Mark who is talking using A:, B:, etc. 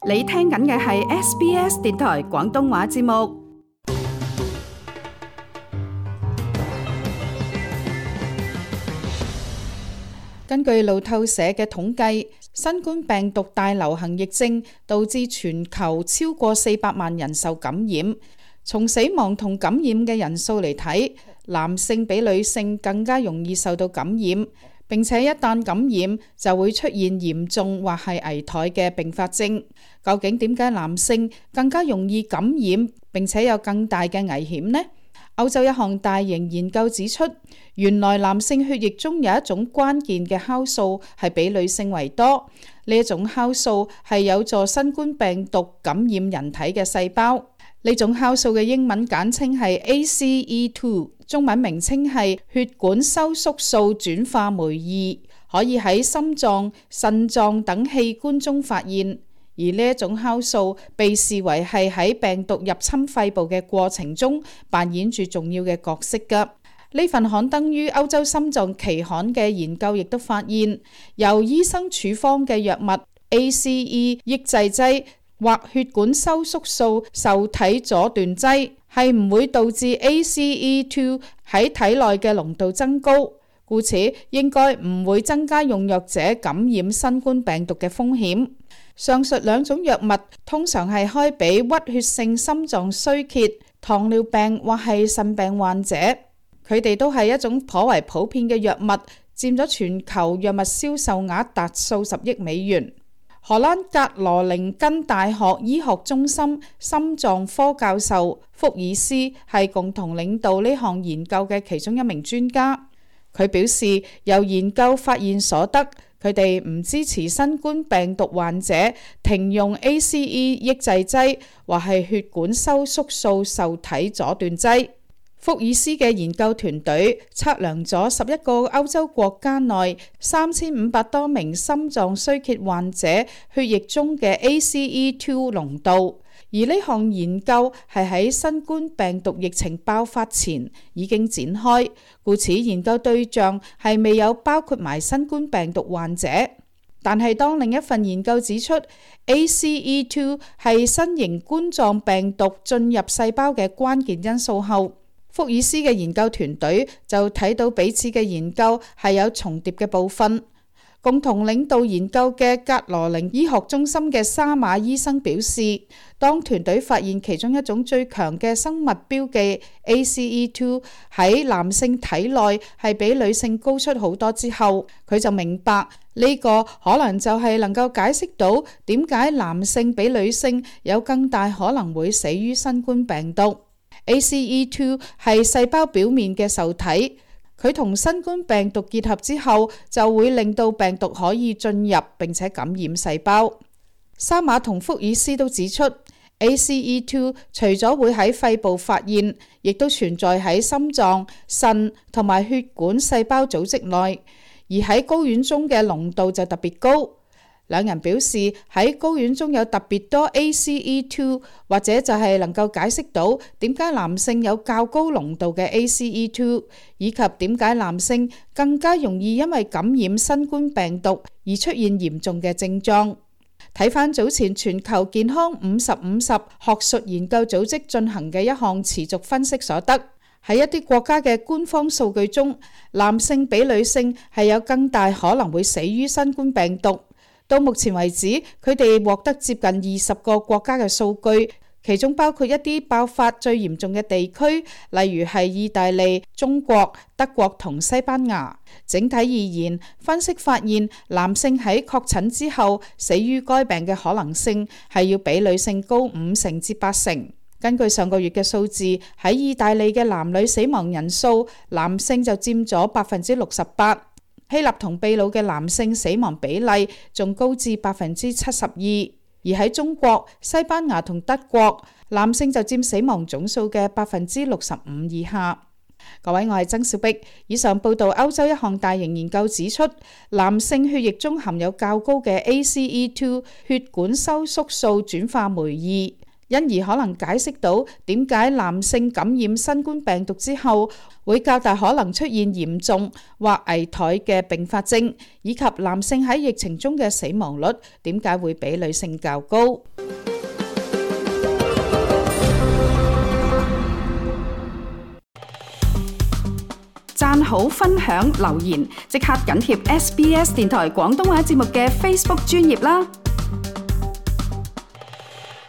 A: 你聽緊嘅係 SBS 電台廣東話節目。根據路透社嘅統計，新冠病毒大流行疫症導致全球超過400萬人受感染。從死亡同感染嘅人數嚟睇，男性比女性更加容易受到感染，並且一旦感染就會出現嚴重或係危殆嘅併發症。究竟點解男性更加容易感染並且有更大嘅危險呢？歐洲一項大型研究指出，原來男性血液中有一種關鍵嘅酵素係比女性為多。呢一種酵素係有助新冠病毒感染人體嘅細胞。呢種酵素嘅英文簡稱係 ACE2， 中文名稱係血管收縮素轉化酶2，可以喺心臟、腎臟等器官中發現。而呢一種酵素被視為係喺病毒入侵肺部嘅過程中扮演住重要嘅角色㗎。呢份刊登於歐洲心臟期刊嘅研究亦都發現，由醫生處方嘅藥物 ACE 抑制劑或血管收縮素受體阻斷劑係唔會導致 ACE2 喺體內嘅濃度增高，故此應該唔會增加用藥者感染新冠病毒嘅風險。上述兩種藥物通常係開俾屈血性心臟衰竭、糖尿病或係腎病患者，佢哋都係一種頗為普遍嘅藥物，佔咗全球藥物銷售額達數十億美元。荷蘭格羅寧根大學醫學中心心臟科教授福爾斯係共同領導呢項研究嘅其中一名專家。佢表示，由研究發現所得，佢哋唔支持新冠病毒患者停用 ACE 抑制劑或係血管收縮素受體阻斷劑。福爾斯嘅研究團隊測量咗11個歐洲國家內3500多名心臟衰竭患者血液中嘅 ACE2 濃度，而呢項研究係喺新冠病毒疫情爆發前已經展開，故此研究對象係未有包括埋新冠病毒患者。但係當另一份研究指出 ACE2 係新型冠狀病毒進入細胞嘅關鍵因素後，福爾斯嘅研究團隊就睇到彼此嘅研究係有重疊嘅部分。共同領導研究嘅格羅寧醫學中心嘅沙馬醫生表示，當團隊發現其中一種最強嘅生物標記 ACE2 喺男性體內係比女性高出好多之後，佢就明白呢個可能就係能夠解釋到點解男性比女性有更大可能會死於新冠病毒。ACE2 係細胞表面嘅受體，佢同新冠病毒結合之後，就會令到病毒可以進入並且感染細胞。沙馬同福爾斯都指出 ，ACE2 除咗會喺肺部發現，亦都存在喺心臟、腎同埋血管細胞組織內，而喺睾丸中嘅濃度就特別高。兩人表示喺睾丸中有特別多 ACE2， 或者就係能夠解釋到點解男性有較高濃度嘅 ACE2， 以及點解男性更加容易因為感染新冠病毒而出現嚴重嘅症狀。睇返早前全球健康50/50學術研究組織進行嘅一項持續分析所得，喺一啲國家嘅官方數據中，男性比女性係有更大可能會死於新冠病毒。到目前為止，佢哋獲得接近20個國家嘅數據，其中包括一啲爆發最嚴重嘅地區，例如係意大利、中國、德國同西班牙。整體而言，分析發現男性喺確診之後死於該病嘅可能性係要比女性高50%至80%。根據上個月嘅數字，喺意大利嘅男女死亡人數，男性就佔咗68%。希臘同秘魯嘅男性死亡比例仲高至72%，而喺中國、西班牙同德國，男性就佔死亡總數嘅65%以下。各位，我係曾小碧。以上報道歐洲一項大型研究指出，男性血液中含有較高嘅 ACE2 血管收縮素轉化酶2。因而可能解釋到點解男性感染新冠病毒之後會較大可能出現嚴重或危殆嘅併發症，以及男性喺疫情中嘅死亡率點解會比女性較高。
B: 讚好、分享、留言，即刻緊貼SBS 電台廣東話節目嘅 Facebook 專頁啦！